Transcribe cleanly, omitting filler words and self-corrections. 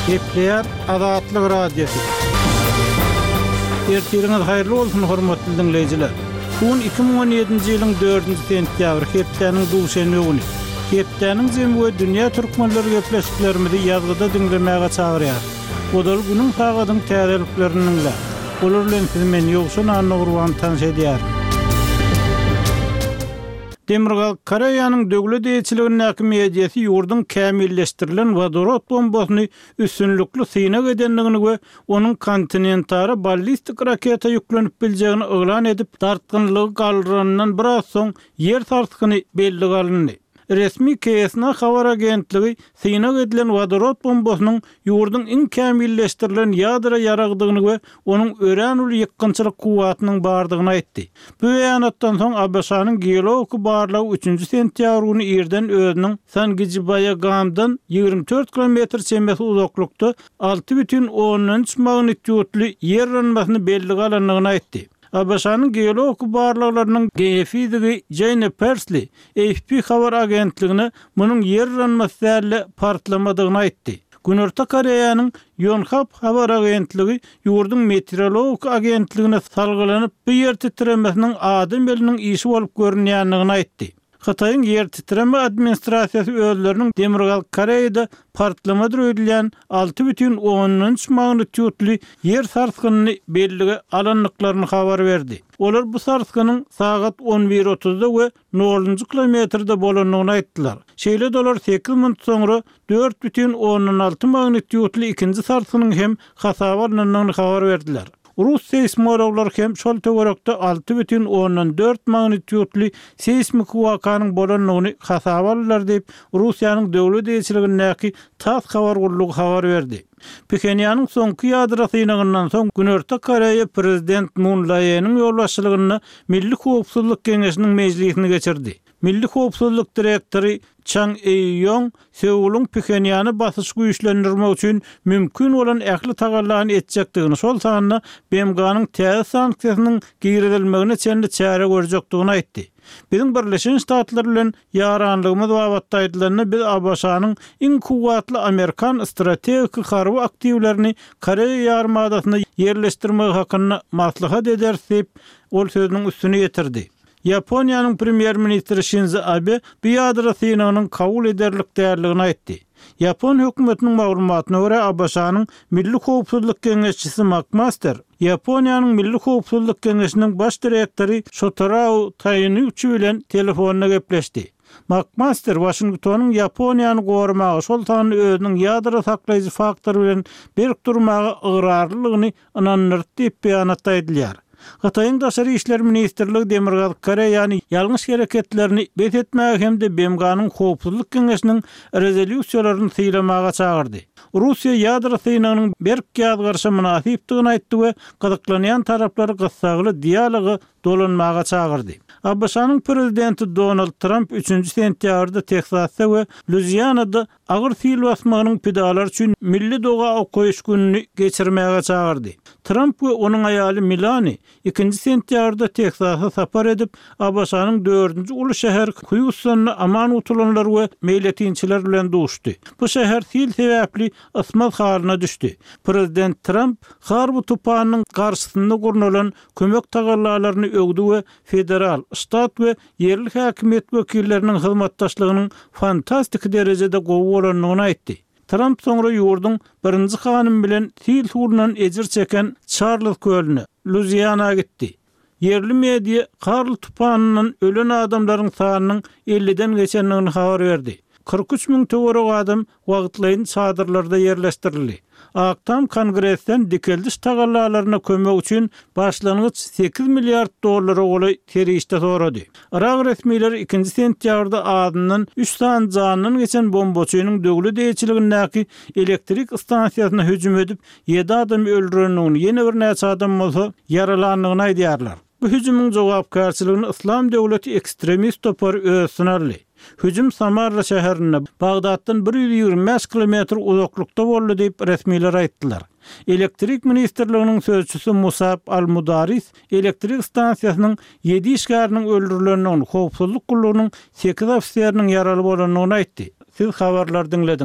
Gepleýär Azatlyk Radiosy. Ertiriňiz haýyrly bolsun, hormatly diňleýjiler! Bu gün 2017-nji ýylyň dördünji sentýabry, hepdäniň duşenbe güni. Hepdäniň jemi we dünýä türkmenleri gepleşiklerimizi ýazgyda diňlemäge çagyrýarys. Ozal günüň sagadyň täzeliklerini diňläň. Olar bilen sizi men, Ýowşan Annagurban tanyş edýärin. Demirgazyk Koreýanyň döwlet eýeçiligindäki mediasy ýurduň kämilleşdirilen wodorod bombasyny üstünlikli synag edendigini we onuň kontinentara ballistik raketa ýüklenip biljegini yglan edip, dartgynlygy galdyranyndan biraz soň ýer sarsgyny bellige alyndy. Resmi KSNA habar agentligi synag edilen wodorod bombasynyň ýurduň iň kämilleşdirilen ýadro ýaragydygyny we onuň örän uly ýykgynçylyk kuwwatynyň bardygyny aýtdy. Bu beýanatdan soň ABŞ-nyň geologiki barlagy üçünji sentýabr güni irden özüniň Sangijibaýagamdan 24 kilometr çemesi uzaklykda 6,3 magnitýudly ýer yranmasyny bellige alandygyny aýtdy. ABŞ-nyň geologiki barlaglarynyň geofizigi Jeýne Persli AFP habar agentligine munuň ýer yranmasy däl-de, partlamadygyny aýtdy. Günorta Koreýanyň Ýonhap habar agentligi ýurduň meteorologik agentligine salgylanyp, bu ýer titremesiniň adam eliniň işi bolup görünýändigini aýtdy. Hytaýyň ýer titreme administrasiýasy özleriniň Demirgazyk Koreýada partlamadyr öýdülýän 6,3 magnitýudly ýer sarsgynyny bellige alandyklaryny habar berdi. Olar bu sarsgynyň sagat on bir otuzda we nolunjy kilometrde bolandygyny aýtdylar. Şeýle-de olar sekiz minut soňra 4,6 magnitýudly ikinji sarsgynyň hem hasaba alnandygyny habar berdiler. Rus seýsmologlary hem şol töwerekde 6,4 magnitýudly seýsmiki wakanyň bolandygyny hasaba aldylar diýip, Russiýanyň döwlet eýeçiligindäki TASS habar gullugy habar berdi. Phenýanyň soňky ýadro synagyndan soň Günorta Koreýa prezident Mun Laeniň ýolbaşçylygynda Milli howpsuzlyk geňeşiniň mejlisini geçirdi. Milli howpsuzlyk direktory Çang Eý-Ýong Seulyň Phenýana basyşy güýçlendirmek üçin mümkin bolan ähli tagallany etjekdigini, şol sanda BMG-niň täze sanksiýasynyň girizilmegine çenli çäre görjekdigini aýtdy. Biziň Birleşen Ştatlar bilen ýaranlygymyz babatda aýdylanda, biz ABŞ-nyň iň kuwwatly amerikan strategiki harby aktiwlerini Koreýa ýarymadasynda ýerleşdirmegi hakynda maslahat ederis diýip, ol sözüniň üstüni ýetirdi. Ýaponiýanyň premýer-ministri Şinzo Abe bu ýadro synagynyň kabul ederlik däldigini aýtdy. Ýapon hökümetiniň maglumatyna görä, ABŞ-nyň Milli howpsuzlyk geňeşçisi Makmaster Ýaponiýanyň Milli howpsuzlyk geňeşiniň baş direktory Şotarao Taýnuçi bilen telefonda gepleşdi. Makmaster Waşingtonyň Ýaponiýany goramaga, şol sanda özüniň ýadro saklaýjy faktory bilen berk durmaga ygrarlylygyny ynandyrdy diýip, beýanatda aýdylýar. Hytaýyň Daşary işler ministrligi Demirgazyk Koreýany ýalňyş hereketlerini bes etmäge hem-de BMG-niň Howpsuzlyk Geňeşiniň rezolýusiýalaryny sylamaga çagyrdy. Russiýa ýadro synagynyň berk ýazgaryşa mynasypdygyny aýtdy we gyzyklanýan taraplary gyssagly dialoga dolanmaga çagyrdy. ABŞ-nyň prezidenti Donald Tramp üçünji sentýabrda Tehsasda we Luizianada agyr sil basmagynyň pidalary üçin milli doga okaýyş gününi geçirmäge çagyrdy. Tramp we onuň aýaly Melani ikinji sentýabrda Teksasa sapar edip, ABŞ-nyň dördünji uly şäheri Hýustonda aman gutulanlar we meýletinçiler bilen duşdy. Bu şäher sil sebäpli ysmaz halyna düşdi. Prezident Tramp Harwi tupanynyň garşysynda gurnalan kömek tagallalaryny öwdi we federal, ştat we ýerli häkimiýet wekilleriniň hyzmatdaşlygynyň fantastiki derejede gowy bolandygyny aýtdy. Tramp soňra ýurduň birinji hanymy bilen sil suwundan ejir çeken Çarlz kölüne, Luiziana gitdi. Ýerli media Karl tupanyndan ölen adamlaryň sanynyň elliden geçendigini habar berdi. 43 müň töweregi adam wagtlaýyn çadyrlarda ýerleşdirildi. Ak Tam Kongresden dikeldiş tagallalaryna kömek üçin başlangyç sekiz milliard dollara golaý serişde sorady. Yrak resmileri ikinji sentýabrda azyndan üç sany janyndan geçen bombaçynyň döwlet eýeçiligindäki elektrik stansiýasyna hüjüm edip, ýedi adamy öldürendigini, ýene birnäçe adam bolsa ýaralandygyny aýdýarlar. Bu hüjümiň jogapkärçiligini Yslam döwleti ekstremist topary öz üstüne aldy. Hüjüm Samarra şäherinde, Bagdatdan 125 kilometr uzaklykda boldy diýip, resmiler aýtdylar. Elektrik ministrliginiň sözçüsi Musab al-Mudaris elektrik stansiýasynyň ýedi işgäriniň öldürilendigini, howpsuzlyk gullugynyň sekiz ofiseriniň ýaraly bolandygyny aýtdy. Siz habarlary diňlediňiz.